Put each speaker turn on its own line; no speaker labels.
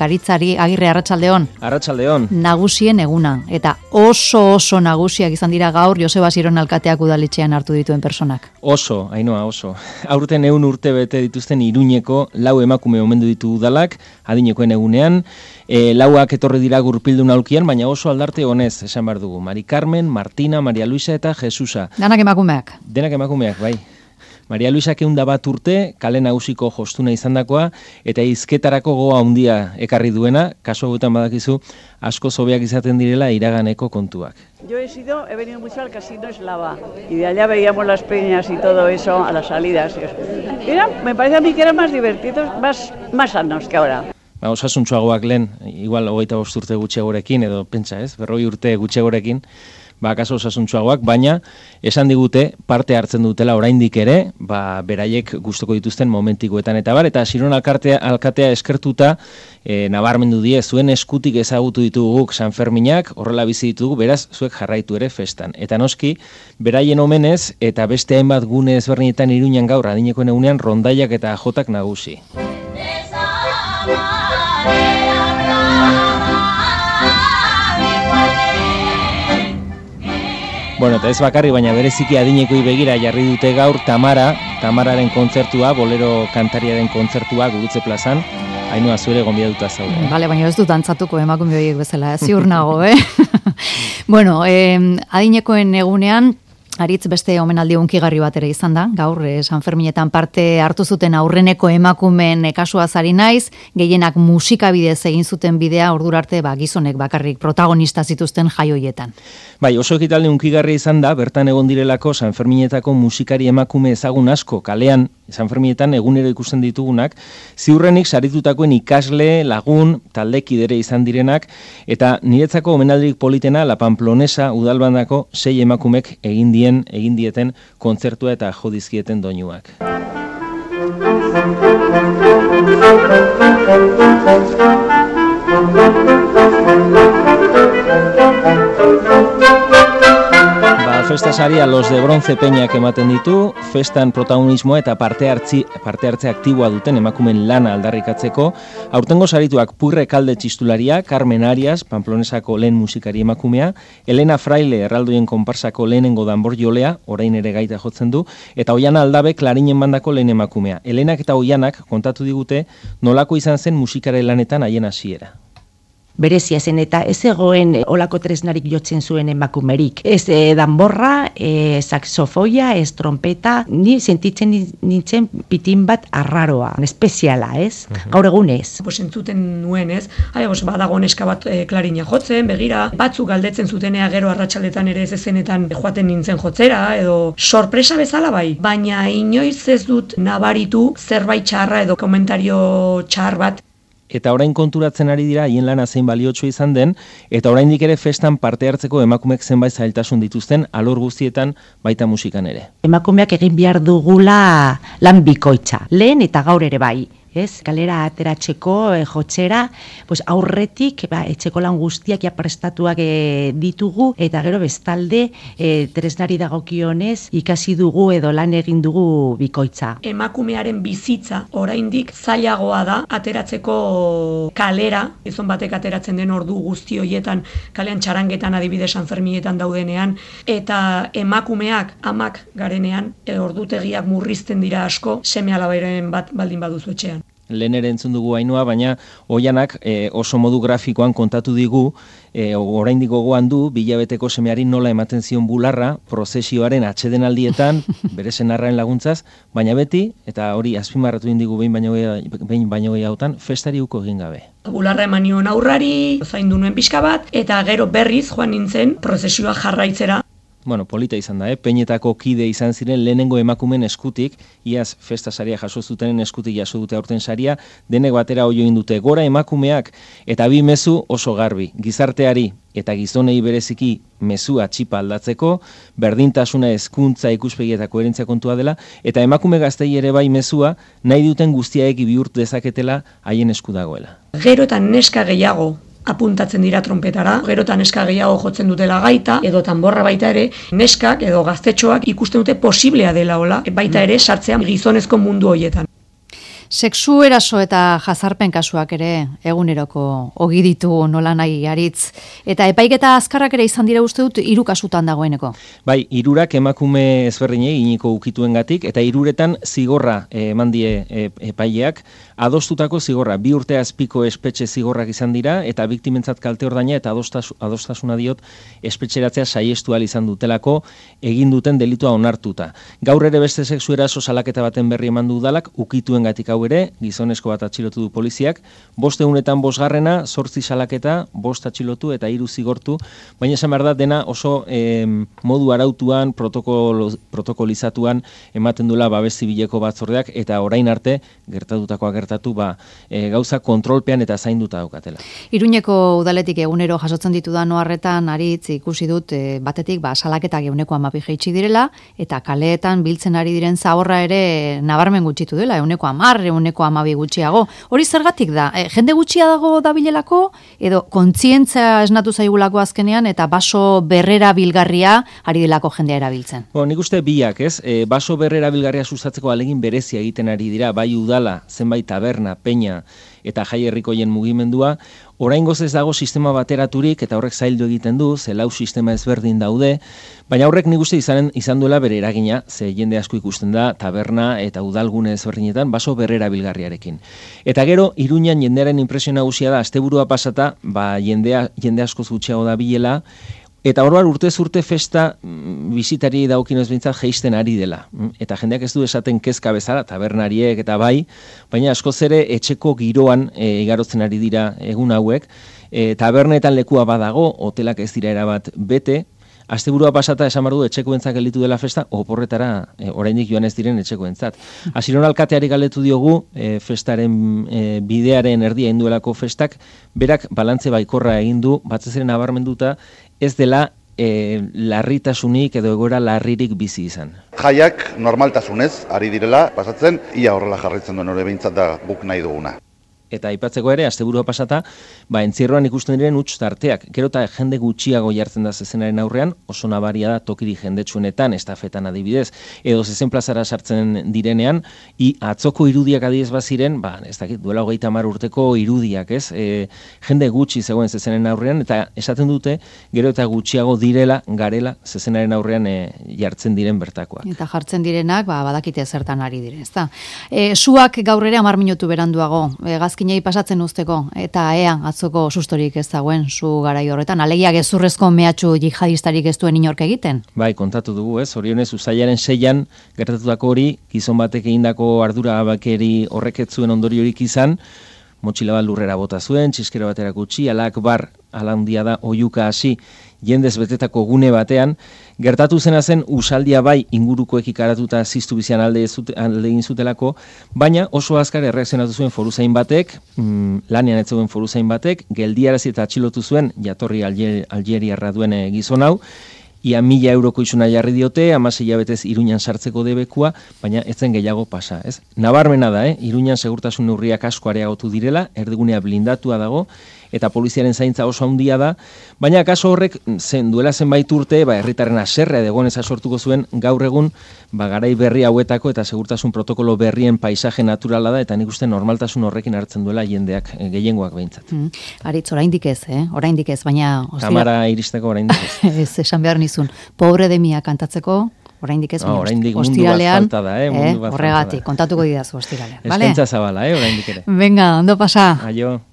Garitzari Agirre, arratsaldeon.
Arratsaldeon.
Nagusien eguna, eta oso nagusiak izan dira gaur Joseba Ziron alkateak udaletxean hartu dituen personak.
Oso, Ainhoa, oso. Aurten 100 urte bete dituzten Iruñeko 4 emakume omendu ditu udalak, adinekoen egunean, lauak etorri dira gurpildun aulkian, baina oso aldarte honez, esan behar dugu. Mari Carmen, Martina, Maria Luisa eta Jesusa.
Denak emakumeak.
Denak emakumeak, bai. Maria Luisa 101 urte, kale nagusiko jostuna izandakoa, eta hizketarako gogoa handia ekarri duena, kasu hauetan badakizu, asko zobeak izaten direla iraganeko kontuak.
Yo he venido mucho al Casino Eslava, y de allá veíamos las peñas y todo eso a las salidas. Me parece a mí que eran más divertidos, más sanos que ahora.
Osasuntsuagoak lehen, igual 25 urte gutxiagorekin, edo pentsa ez, 40 urte gutxiagorekin, kaso osasuntsuagoak, baina esan digute parte hartzen dutela oraindik ere, beraiek gustuko dituzten momentikoetan eta bar, eta Ziron alkatea eskertuta nabarmendu die, zuen eskutik ezagutu ditugu San Ferminak, horrela bizi ditugu, beraz zuek jarraitu ere festan. Eta noski, beraien omenez eta beste hainbat gune ezberdinetan Iruñan gaur adinekoen egunean rondaiak eta jotak nagusi. Bueno, eta ez bakarri, baina bereziki adinekoi begira jarri dute gaur Tamararen kontzertua, bolero kantariaren kontzertua Gurutze plazan, Ainhoa zure gonbidatuta zaude.
Bale, baina ez dut antzatuko emakume horiek bezala, ziur nago, Bueno, adinekoen egunean, Aritz beste omenaldi hunkigarri bat ere izan da, gaur San Ferminetan parte hartu zuten aurreneko emakumeen kasuaz ari naiz, gehienak musikabidez egin zuten bidea ordura arte gizonek bakarrik protagonista zituzten jaioietan.
Bai, oso ekitaldi hunkigarri izan da, bertan egon direlako San Ferminetako musikari emakume ezagun asko kalean, San Ferminetan egunero ikusten ditugunak, ziurrenik saritutakoen ikasle, lagun, taldekidere izan direnak, eta niretzako omenaldirik politena La Pamplonesa udalbandako 6 emakumek egin dieten kontzertua eta jo dizkieten doinuak. Festa saria Los de Bronce Peñak ematen ditu, festan protagonismoa eta parte hartze aktiboa duten emakumen lana aldarrikatzeko. Aurtengo sarituak Purre Kalde txistularia, Carmen Arias, Pamplonesako lehen musikari emakumea, Elena Fraile erraldoien konparsako lehenengo danbor jolea, orain ere gaita jotzen du, eta Oiana Aldabe klarinen bandako lehen emakumea. Elenak eta Oianak kontatu digute nolako izan zen musikare lanetan haien hasiera.
Berezia zen eta ez egoen olako tresnarik jotzen zuen emakumerik. Ez danborra, saxofoia, ez trompeta, ni sentitzen nintzen pitin bat arraroa, espeziala, ez? Gaur egun ez.
Entzuten nuen, ez? Badago neska bat klarina jotzen, begira, batzuk galdetzen zutenea gero arratsaldetan ere ez ezenetan joaten nintzen jotzera, edo sorpresa bezala bai. Baina inoiz ez dut nabaritu zerbait txarra edo komentario txar bat.
Eta orain konturatzen ari dira haien lana zein baliotsua izan den, eta oraindik ere festan parte hartzeko emakumeek zenbait zailtasun dituzten alor guztietan baita musikan ere.
Emakumeak egin behar dugula lan bikoitza, lehen eta gaur ere bai. Ez, kalera ateratzeko, jotzera, aurretik, etxeko lan guztiak prestatuak ditugu, eta gero bestalde, tresnari dagokionez, ikasi dugu edo lan egin dugu bikoitza.
Emakumearen bizitza, oraindik zailagoa da, ateratzeko kalera, gizon batek ateratzen den ordu guzti horietan, kalean txarangetan adibidez San Ferminetan daudenean, eta emakumeak, amak garenean, ordutegiak murrizten dira asko, seme alabaren bat baldin baduzu etxean.
Lehen ere entzun dugu Ainhoa, baina Oianak oso modu grafikoan kontatu digu, oraindik gogoan du, bilabeteko semeari nola ematen zion bularra, prozesioaren atsedenaldietan, bere senarraren laguntzaz, baina beti, eta hori azpimarratu indigu behin baino gehiagotan, festari uko egin gabe.
Bularra eman nion aurrari, zaindu nuen pixka bat, eta gero berriz joan nintzen prozesioa jarraitzera.
Bueno, polita izan da, Peñetako kide izan ziren lehenengo emakumen eskutik, iaz festa saria jaso zutenen eskutik jaso dute aurten saria, denek batera oio indute gora emakumeak, eta bi mezu oso garbi, gizarteari eta gizonei bereziki mezua txipa aldatzeko, berdintasuna hezkuntza ikuspegietako koherentzia kontua dela, eta emakume gaztei ere bai mezua nahi duten guztiaek bihurt dezaketela haien esku dagoela.
Gero eta neska gehiago apuntatzen dira trompetara, gero eta neska gehiago jotzen dutela gaita, edo tanborra baita ere, neskak edo gaztetxoak ikusten dute posiblea dela hola, baita ere sartzea gizonezko mundu horietan.
Sexu eraso eta jazarpen kasuak ere eguneroko ogi ditu nola nahi Aritz. Eta epaiketa azkarrak ere izan dira uste dut 3 kasutan dagoeneko.
Bai, 3 emakume ezberdinei iniko ukituengatik eta 3 zigorra eman die epaileak. Adostutako zigorra 2 urte azpiko espetxe zigorrak izan dira eta biktimentzat kalte ordaina eta adostasuna diot espetxeratzea saiestu ahal izan dutelako egin duten delitua onartuta. Gaur ere beste sexu eraso salaketa baten berri eman du udalak ukituengatik hau ere, gizonezko bat atxilotu du poliziak, 5 egunetan 5. 8 salaketa, 5 atxilotu eta 3 zigortu, baina esan behar da dena oso modu arautuan, protokolizatuan ematen dula babes zibileko batzordeak eta orain arte gertatutakoa gertatu gauza kontrolpean eta zainduta daukatela.
Iruñeko udaletik egunero jasotzen ditudan oharretan Aritz ikusi dut batetik salaketak 12 jaitsi direla eta kaleetan biltzen ari diren zaborra ere nabarmen gutxitu dela, 10, 12 gutxiago. Hori zergatik da? Jende gutxia dago dabilelako edo kontzientzia esnatu zaigulako azkenean eta baso berrera bilgarria ari delako jendea erabiltzen?
Nik uste biak, ez? Baso berrera bilgarria sustatzeko alegin berezia egiten ari dira, bai udala, zenbait taberna, peña eta jai herrikoien mugimendua, oraingoz ez dago sistema bateraturik eta horrek zaildu egiten du, ze 4 sistema ezberdin daude, baina horrek nik uste izan duela bere eragina, ze jende asko ikusten da taberna eta udalgune ezberdinetan baso berrera bilgarriarekin. Eta gero, Iruñan jendearen impresio nagusia da, asteburua pasata, jende asko gutxiago da bilela, eta orduan urtez urte festa bisitari daukinoz behintzat jeisten ari dela. Eta jendeak ez du esaten kezka bezala, tabernariek eta bai, baina askoz ere etxeko giroan igarotzen ari dira egun hauek. Tabernetan lekua badago, hotelak ez dira erabat bete, asteburua pasata esan behar du etxekoentzat gelditu dela festa, oporretara oraindik joan ez diren etxekoentzat. Asiron alkateari galdetu diogu festaren bidearen erdia induelako festak, berak balantze baikorra egin du, batzez ere nabarmenduta, ez dela larritasunik edo egoera larririk bizi izan.
Jaiak normaltasunez ari direla pasatzen, ia horrela jarraitzen duen hori behintzat da guk nahi duguna.
Eta aipatzeko ere, asteburua pasata, entzierroan ikusten diren huts tarteak. Gero eta jende gutxiago jartzen da zezenaren aurrean, oso nabaria da tokiri jendetsuenetan, estafetan adibidez, edo zezen plazara sartzen direnean, atzoko irudiak adibidez baziren, ez dakit, duela 30 urteko irudiak, ez? Jende gutxi zegoen zezenen aurrean, eta esaten dute, gero eta gutxiago garela zezenaren aurrean jartzen diren bertakoak.
Eta jartzen direnak, badakite zertan ari diren, ezta? Suak gaur ere 10 minutu beranduago, gazkinei pasatzen usteko, eta ea atzoko sustorik ez dagoen zu garai horretan, alegia gezurrezko mehatxu jihadistarik ez duen inork egiten?
Bai, kontatu dugu, ez? Orionez, uztailaren 6 gertatutako hori, gizon batek egindako ardura bakeri horrek ez zuen ondoriorik izan, motxila bat lurrera bota zuen, txiskero batera utzi, alak bar, ala handia da, oiuka hasi, jendez betetako gune batean, gertatu zena zen usaldia bai ingurukoek ikaratuta ziztu bizian alde egin zutelako, baina oso azkar erreakzionatu zuen foruzain batek, lanean ez zegoen foruzain batek, geldiarazi eta atxilotu zuen jatorri Algeriarra duen gizon hau, ia 1.000 euroko isuna jarri diote, 16 hilabetez Iruñan sartzeko debekua, baina ez zen gehiago pasa, ez? Nabarmena da, Iruñan segurtasun neurriak asko areagotu direla, erdigunea blindatua dago, eta poliziaren zaintza oso handia da, baina kaso horrek duela zenbait urte, herritarren haserrea egoneza sortuko zuen gaur egun, garai berri hauetako eta segurtasun protokolo berrien paisaje naturala da, eta nik uste normaltasun horrekin hartzen duela jendeak, gehiengoak behintzat.
Aritz, oraindik ez, baina...
Kamara iristeko oraindik ez.
Ez, esan behar nizun, pobre de mia kantatzeko, oraindik ez,
oraindik mundu bat falta da, mundu bat
horregatik, kontatuko didazu ostiralean.
Eskaintza zabala, oraindik ere.
Venga, ondo pasa.
Aio.